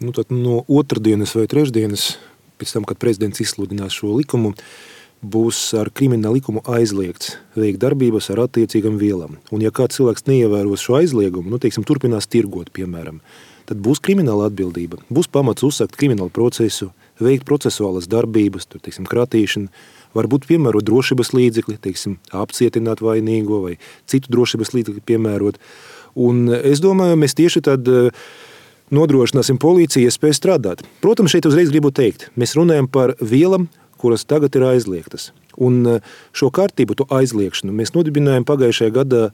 Tad no otrdienas vai trešdienas, pēc tam, kad prezidents izsludinās šo likumu, būs ar kriminālu likumu aizliegts veikt darbības ar attiecīgam vielam. Un ja kāds cilvēks neievēros šo aizliegumu, turpinās tirgot, piemēram, tad būs krimināla atbildība. Būs pamats uzsākt kriminālu procesu, veikt procesuālas darbības, kratīšanu, varbūt piemērot drošības līdzekli, apcietināt vainīgo vai citu drošības līdzekli piemērot. Un es domāju, mēs tieši tad nodrošināsim policiju iespēju strādāt. Protams, šeit uzreiz gribu teikt, mēs runājam par vielam, kuras tagad ir aizliegtas. Un šo kārtību, to aizliegšanu, mēs nodibinājām pagājušajā gadā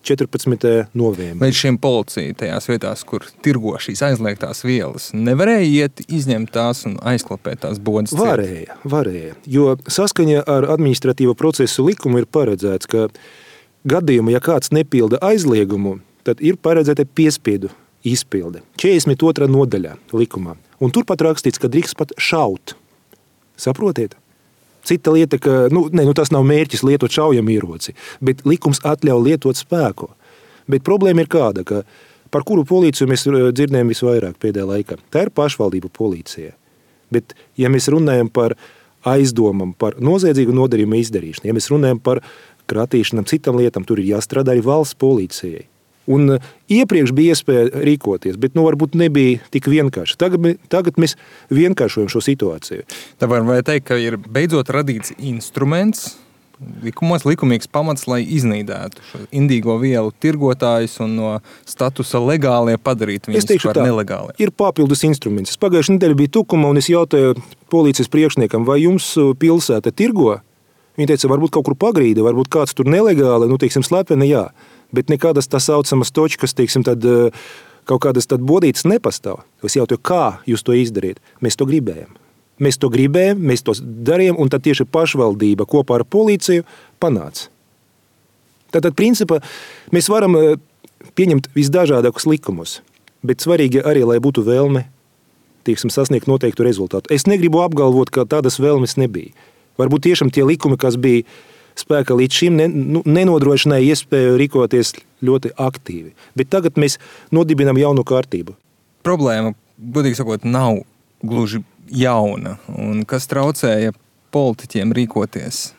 14. novembrī. Vai šiem policija tajās vietās, kur tirgo šīs aizliegtās vielas, nevarēja iet, izņemt tās un aizklapēt tās bodas? Varēja. Jo saskaņā ar administratīvo procesu likumu ir paredzēts, ka gadījumā, ja kāds nepilda aizliegumu, tad ir paredzēta piespiedu izpilde. 42. nodaļā likumā. Un turpat rakstīts, ka drīkst pat šaut. Saprotiet? Cita lieta, ka tas nav mērķis lietot šaujamieroci, bet likums atļauj lietot spēku. Bet problēma ir kāda, ka par kuru policiju mēs dzirdējam visvairāk pēdējā laikā. Tā ir pašvaldību policija. Bet ja mēs runājam par aizdomam, par noziedzīgu nodarījumu izdarīšanu, ja mēs runājam par kratīšanām, citām lietām, tur ir jāstrādā arī valsts policijai. Un iepriekš bija iespēja rīkoties, bet varbūt nebija tik vienkārši. Tagad mēs vienkāršojam šo situāciju. Tā var teikt, ka ir beidzot radīts instruments, likumīgs pamats, lai iznīdētu šo indīgo vielu tirgotājus un no statusa legālie padarīt viņus par nelegāli. Ir papildus instruments. Pagājušajā nedēļā bija Tukumā, un es jautāju policijas priekšniekam, vai jums pilsēta tirgo? Viņi teica, varbūt kaut kur pagrīda, varbūt kāds tur nelegāli, slepeni, jā. Bet nekādas tā saucamas točkas, tad kaut kādas tad bodītas nepastāv. Es jautāju, kā jūs to izdarīt? Mēs to gribējam, mēs to darījām, un tad tieši pašvaldība kopā ar policiju panāca. Tātad, principā, mēs varam pieņemt visdažādākus likumus, bet svarīgi arī, lai būtu vēlme, sasniegt noteiktu rezultātu. Es negribu apgalvot, ka tādas vēlmes nebija. Varbūt tiešām tie likumi, kas bija spēkā līdz šim, nenodrošināja iespēju rīkoties ļoti aktīvi. Bet tagad mēs nodibinām jaunu kārtību. Problēma, godīgi sakot, nav gluži jauna. Un kas traucēja politiķiem rīkoties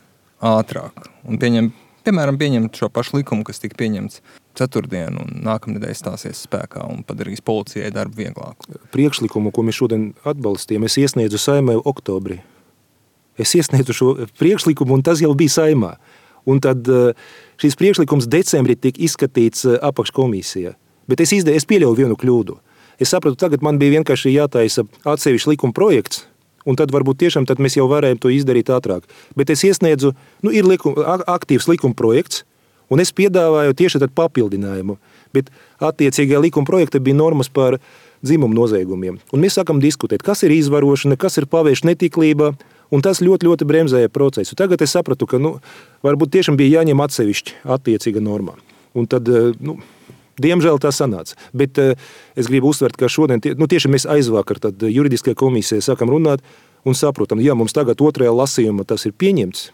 ātrāk? Un pieņemt šo pašu likumu, kas tika pieņemts ceturtdien un nākamnedēļ stāsies spēkā un padarīs policijai darbu vieglāku. Priekšlikumu, ko mēs šodien atbalstījām, es iesniedzu Saeimai oktobrī. Es iesniedzu šo priekšlikumu, un tas jau bija Saeimā. Un tad šis priekšlikums decembrī tika izskatīts apakškomisijā. Bet es pieļauju vienu kļūdu. Es sapratu, tagad man bija vienkārši jātaisa atsevišķi likuma projekts, un tad varbūt tiešām tad mēs jau varējām to izdarīt ātrāk. Bet es iesniedzu, ir aktīvs likuma projekts, un es piedāvāju tieši tad papildinājumu. Bet attiecīgajā likuma projekta bija normas par dzimumu noziegumiem. Un mēs sākam diskutēt, kas ir izvarošana, kas ir pavērša netiklība, un tas ļoti, ļoti bremzēja procesu. Tagad es sapratu, ka varbūt tiešām bija jāņem atsevišķi attiecīga normā. Un tad, diemžēl tā sanāca. Bet es gribu uzsvert, ka šodien tieši mēs aizvakar tad juridiskajā komisijā sākam runāt un saprotam, ja mums tagad otrajā lasījumā tas ir pieņemts,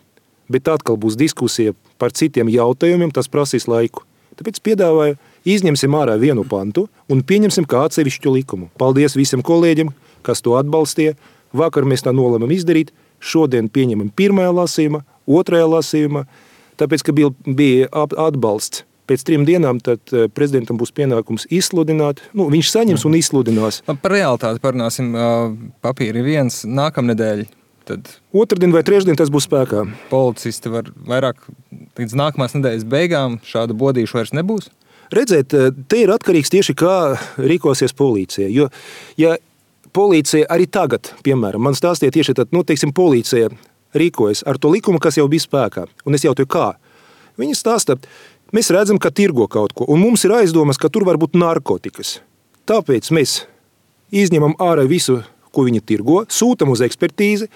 bet atkal būs diskusija par citiem jautājumiem, tas prasīs laiku. Tāpēc piedāvāju, izņemsim ārā vienu pantu un pieņemsim kā atsevišķu likumu. Paldies visiem kolēģiem, kas to atbalstīja. Vakar mēs tā nolēmam izdarīt, šodien pieņemam pirmajā lasījumā, otrajā lasījumā, tāpēc, ka bija atbalsts. Pēc 3 dienām tad prezidentam būs pienākums izsludināt, viņš saņems un izsludinās. Par realitāti parunāsim, papīri viens, nākamnedēļ. Tad otrdien vai trešdien tas būs spēkā. Policisti var vairāk līdz nākamās nedēļas beigām šādu bodīšu vairs nebūs? Redzēt, te ir atkarīgs tieši kā rīkosies policija, jo, ja policija arī tagad, piemēram, man stāstīja tieši tad, policija rīkojas ar to likumu, kas jau bija spēkā. Un es jautāju, kā? Viņi stāsta, mēs redzam, ka tirgo kaut ko, un mums ir aizdomas, ka tur var būt narkotikas. Tāpēc mēs izņemam ārā visu, ko viņi tirgo, sūtam uz ekspertīzi,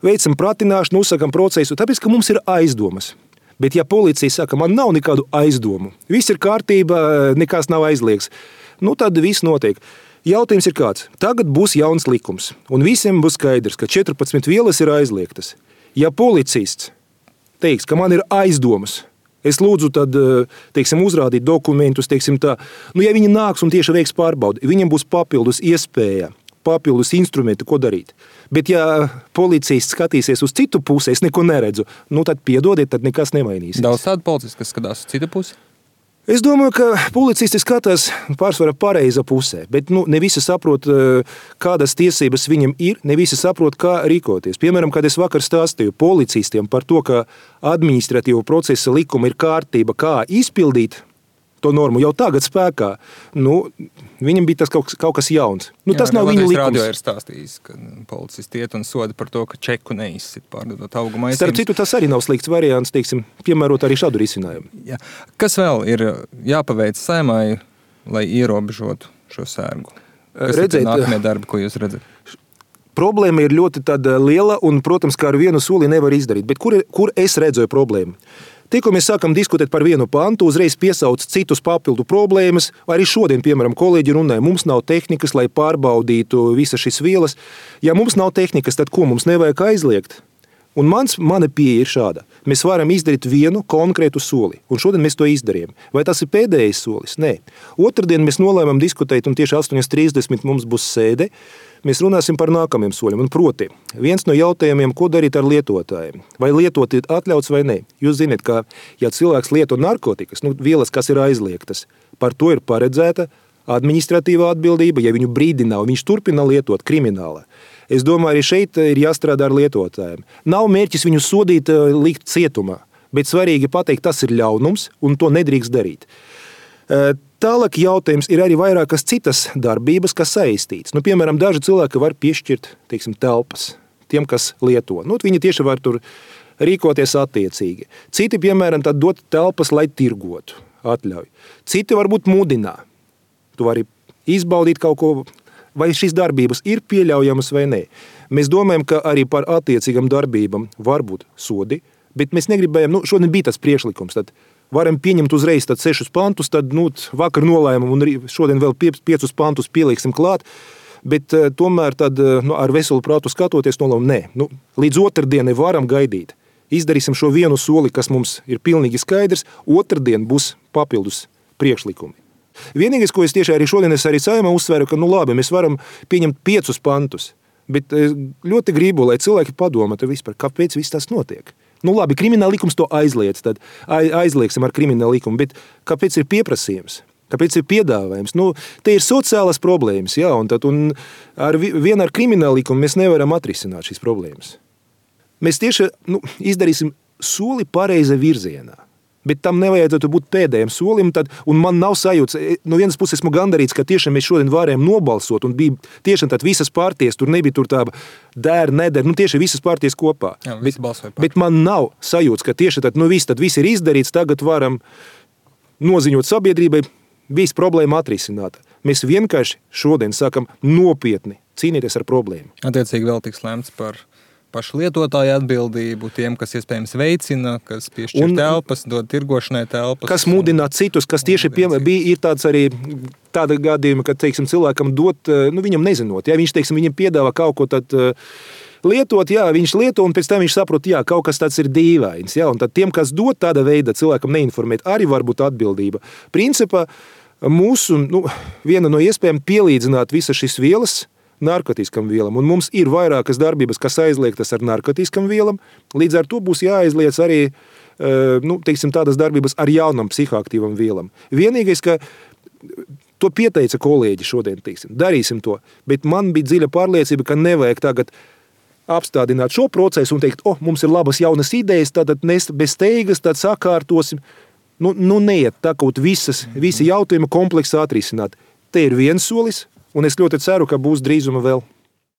veicam pratināšanu, uzsakam procesu, tāpēc, ka mums ir aizdomas. Bet ja policija saka, man nav nekādu aizdomu, viss ir kārtība, nekas nav aizliegts, tad viss notiek. Jautājums ir kāds. Tagad būs jauns likums, un visiem būs skaidrs, ka 14 vielas ir aizliegtas. Ja policists teiks, ka man ir aizdomas, Es lūdzu tad, teiksim, uzrādīt dokumentus, teiksim tā. Nu, ja viņi nāks un tieši veiks pārbaudi, viņiem būs papildus iespēja, papildus instrumenti, ko darīt. Bet ja policijas skatīsies uz citu pusi, es neko neredzu, nu tad piedodiet, tad nekas nemainīsies. Daudz tādu policistu, kas skatās uz citu pusi? Es domāju, ka policisti skatās pārsvarā pareiza pusē, bet ne visi saprot, kādas tiesības viņam ir, ne visi saprot, kā rīkoties. Piemēram, kad es vakar stāstīju policistiem par to, ka administratīvo procesa likuma ir kārtība, kā izpildīt to normu jau tagad spēkā, viņam bija tas kaut kas jauns. Tas nav viņu likums. Radio ir stāstījis, ka policisti iet un soda par to, ka čeku neizsit pārdodot augu maisījumus. Starp citu, tas arī nav slikts variants, teiksim, piemērot arī šādu risinājumu. Jā. Kas vēl ir jāpaveic Saeimai, lai ierobežotu šo sērgu? Kas ir nākamie darbi, ko jūs redzat? Problēma ir ļoti liela un, protams, kā ar vienu soli nevar izdarīt. Bet kur es redzēju problēmu? Tikko mēs sākam diskutēt par vienu pantu, uzreiz piesauc citus papildu problēmas. Arī šodien, piemēram, kolēģi runāja, mums nav tehnikas, lai pārbaudītu visas šīs vielas. Ja mums nav tehnikas, tad ko mums nevajag aizliegt? Un mana pieeja ir šāda. Mēs varam izdarīt vienu konkrētu soli, un šodien mēs to izdarījām. Vai tas ir pēdējais solis? Nē. Otrdien mēs nolēmām diskutēt, un tieši 8:30 mums būs sēde. Mēs runāsim par nākamajiem soļiem. Un proti, viens no jautājumiem, ko darīt ar lietotājiem. Vai lietot ir atļauts vai nē? Jūs zināt, ka ja cilvēks lieto narkotikas, vielas, kas ir aizliegtas, par to ir paredzēta administratīvā atbildība, ja viņu brīdina, viņš turpina lietot krimināla. Es domāju, arī šeit ir jāstrādā ar lietotājiem. Nav mērķis viņu sodīt, likt cietumā, bet svarīgi pateikt, tas ir ļaunums un to nedrīkst darīt. Tālāk jautājums ir arī vairākas citas darbības, kas saistīts. Piemēram, daži cilvēki var piešķirt, teiksim, telpas tiem, kas lieto. Viņi tieši var tur rīkoties attiecīgi. Citi, piemēram, tad dot telpas, lai tirgotu, atļauj. Citi varbūt mudinā. Tu vari izbaudīt kaut ko, vai šīs darbības ir pieļaujamas vai nē. Mēs domājam, ka arī par attiecīgam darbībam var būt sodi, bet mēs negribējam, šodien bija tas priekšlikums, tad varam pieņemt uzreiz 6 pantus, tad vakar nolēmam un šodien vēl 5 pantus pieliksim klāt, bet tomēr tad ar veselu prātu skatoties nolēmam, nē, līdz otrdienai varam gaidīt. Izdarīsim šo vienu soli, kas mums ir pilnīgi skaidrs, otrdien būs papildus priekšlikumi. Vienīgais, ko es tieši arī šodien arī Saeimā uzsveru, ka labi, mēs varam pieņemt 5 pantus, bet ļoti gribu, lai cilvēki padomātu vispār, kāpēc viss tas notiek. Labi, krimināla likums to aizliedz, tad aizliegsim ar krimināla likumu, bet kāpēc ir pieprasījums? Kāpēc ir piedāvājums? Te ir sociālas problēmas, jā, un vien ar krimināla likumu mēs nevaram atrisināt šīs problēmas. Mēs tieši izdarīsim soli pareiza virzienā. Bet tam nevajadzētu būt pēdējiem solim, un man nav sajūts, no vienas puses esmu gandarīts, ka tiešām mēs šodien varējām nobalsot, un bija tiešām tad visas partijas, tur nebija tur tā der, neder, tieši visas partijas kopā. Jā, bet man nav sajūts, ka tieši tad viss ir izdarīts, tagad varam noziņot sabiedrībai, viss problēma atrisināta. Mēs vienkārši šodien sākam nopietni cīnīties ar problēmu. Attiecīgi vēl tiks lēmts par pašu lietotāju atbildību, tiem, kas iespējams veicina, kas piešķir telpas, dod tirgošanai telpas. Kas mudina citus, kas tieši ir tāds arī tāda gadījuma, ka, teiksim, cilvēkam dot, viņam nezinot, ja viņš, teiksim, viņam piedāvā kaut ko tad lietot, jā, viņš lieto, un pēc tam viņš saprot, jā, kaut kas tāds ir dīvains, jā, un tad tiem, kas dod tāda veida cilvēkam neinformēt, arī var būt atbildība. Principā mūsu, viena no iespējām pielīdzināt visas šīs vielas narkotiskam vielam, un mums ir vairākas darbības, kas aizliegtas ar narkotiskam vielam, līdz ar to būs jāaizliedz arī, teiksim, tādas darbības ar jaunam psihoaktīvam vielam. Vienīgais, ka to pieteica kolēģi šodien, teiksim, darīsim to, bet man bija dziļa pārliecība, ka nevajag tagad apstādināt šo procesu un teikt, mums ir labas jaunas idejas, tad bez steigas, tad sakārtosim. Neiet tā kaut visi jautājumi kompleksā atrisināt. Te ir viens solis, un es ļoti ceru, ka būs drīzuma vēl.